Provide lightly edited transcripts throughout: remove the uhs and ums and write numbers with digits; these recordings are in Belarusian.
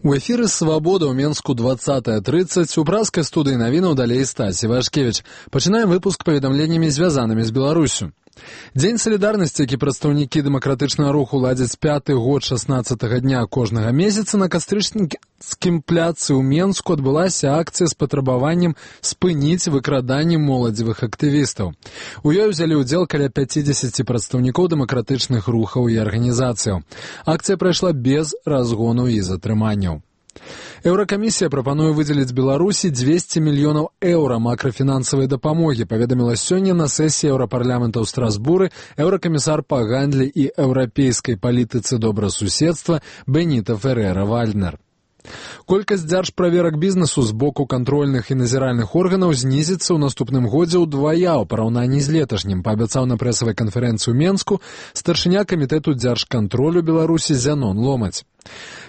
У эфіры «Свабода» ў Менску 20:30. У пражскай студыі навінаў далей Стасі Вашкевіч. Пачынаем выпуск паведамленнямі, звязанымі з Беларусю. Дзень салідарнасці, які прадстаўнікі дэмакратычнага руху ладзяць 5-й год 16-га дня кожнага месяца, на Кастрычніцкім пляцы ў Менску адбылася акцыя з патрабаваннем спыніць выкраданне моладзевых актывістаў. У ёй узялі ўдзел каля 50 прадстаўнікоў дэмакратычных рухаў і арганізацыяў. Акцыя прайшла без разгону і затрыманняў. Еўракамісія прапануе выдзеліць Беларусі 200 мільёнаў еўра макрафінансавай дапамогі, паведаміла сёння на сесіі Еўрапарламента ў Страсбуры еўракамісар па гандлі і еўрапейскай палітыцы добрасуседства Беніта Ферера-Вальднер. Колькасць дзяржправерак бізнесу з боку кантрольных і назіральных органаў знізіцца ў наступным годзе ўдвая ў параўнанні з леташнім, паабяцаў на прэсавай канферэнцыі ў Менску старшыня камітэту дзяржкантролю Беларусі Зянон Ломаць.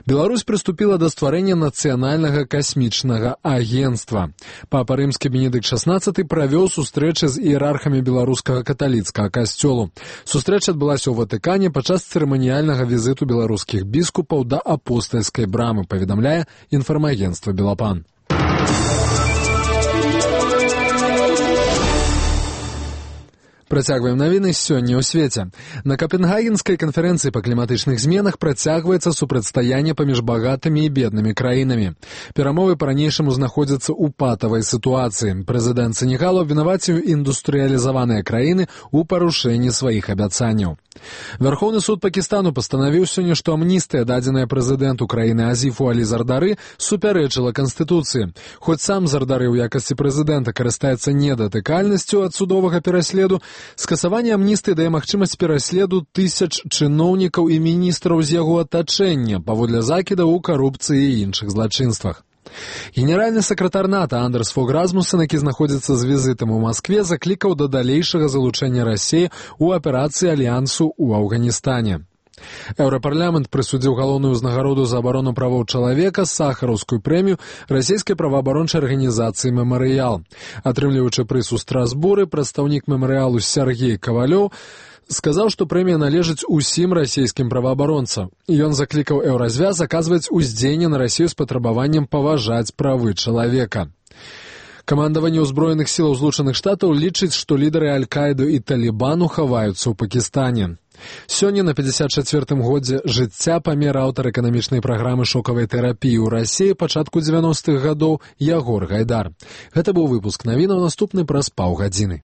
Беларусь прыступіла да стварэння нацыянальнага касмічнага агенцтва. Папа рымскі Бенедыкт XVI правёў сустрэчы з іерархамі беларускага каталіцкага касцёлу. Сустрэча адбылася ў Ватыкане падчас цырыманіяльнага візіту беларускіх біскупаў да апостальскай брамы, паведамляе інфармагенцтва «Белапан». Працягваем навіны сёння ў свеце. На Капенгагенскай канферэнцыі па кліматычных зменах працягваецца супрацьстаянне паміж багатымі і беднымі краінамі. Перамовы па-ранейшаму знаходзяцца ў патавай сітуацыі. Прэзідэнт Сенегалу абвінаваціў індустрыялізаваныя краіны ў парушэнні сваіх абяцанняў. Вярхоўны суд Пакістану пастанавіў сёння, што амністыя, дадзеная прэзідэнту краіны Азіфу Алі Зардары, супярэчыла Канстытуцыі. Хоць сам Зардары ў якасці прэзідэнта карыстаецца недатыкальнасцю ад судовага пераследу, скасаванне амністыі дае магчымасць пераследу тысяч чыноўнікаў і міністраў з яго атачэння паводле закідаў у карупцыі і іншых злачынствах. Генеральны сакратар НАТО Андерс Фог Расмуссен, які знаходзіцца з візітам у Маскве, заклікаў да далейшага залучэння Расіі ў аперацыі альянсу ў Афганістане. Еўрапарламент прысудзіў галоўную ўзнагароду за абарону правоў чалавека, сахараўскую прэмію расійскай праваабарончай арганізацыі «Мемарыял». Атрымліваючы прыз у Страсбуры, прадстаўнік «Мемарыялу» Сергей Кавалёў сказаў, што прэмія належыць усім расійскім праваабаронцам. Ён заклікаў еўразвяз аказваць уздзеянне на Расію з патрабаваннем паважаць правы чалавека. Камандаванне ўзброеных сілаў Злучаных Штатаў лічыць, што лідары Аль-Каіды і Талібану хаваюцца ў Пакістане. Сёння на 54-м годзе жыцця памер аўтар эканамічнай праграмы шокавай тэрапіі ў Расіі пачатку 90-х гадоў Ягор Гайдар. Гэта быў выпуск навінаў, наступны праз паўгадзіны.